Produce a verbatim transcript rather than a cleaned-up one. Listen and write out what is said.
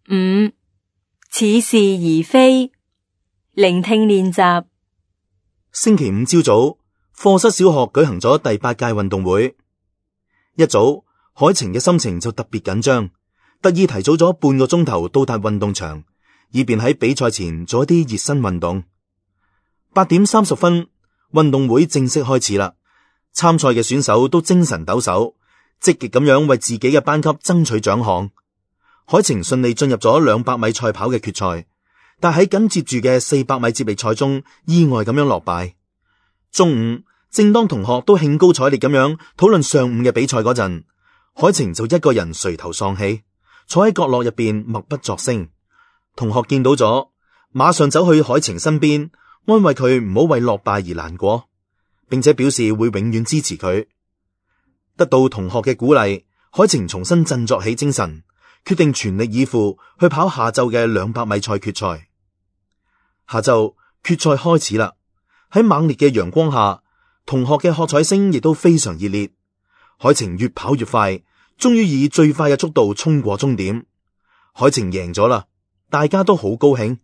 五、似是而非，聆聽練習。星期五朝早，課室小學舉行咗第八屆運動會。一早，海晴嘅心情就特別緊張，特意提早咗半個鐘頭到達運動場，以便喺比賽前做一啲熱身運動。八點三十分，運動會正式開始啦。參賽嘅選手都精神抖擻，積極咁樣為自己嘅班級爭取獎項。海晴順利進入咗兩百米賽跑嘅決賽，但喺緊接住嘅四百米接力賽中意外咁樣落敗。中午，正當同學都興高采烈咁樣討論上午嘅比賽嗰陣，海晴就一個人垂頭喪氣，坐喺角落入邊默不作聲。同學見到咗，馬上走去海晴身邊，安慰佢唔好為落敗而難過，並且表示會永遠支持佢。得到同學嘅鼓勵，海晴重新振作起精神，決定全力以赴去跑下晝嘅兩百米賽決賽。下晝決賽開始啦，喺猛烈嘅陽光下，同學嘅喝彩聲亦都非常熱烈。海晴越跑越快，終於以最快嘅速度衝過終點。海晴贏咗啦，大家都好高興。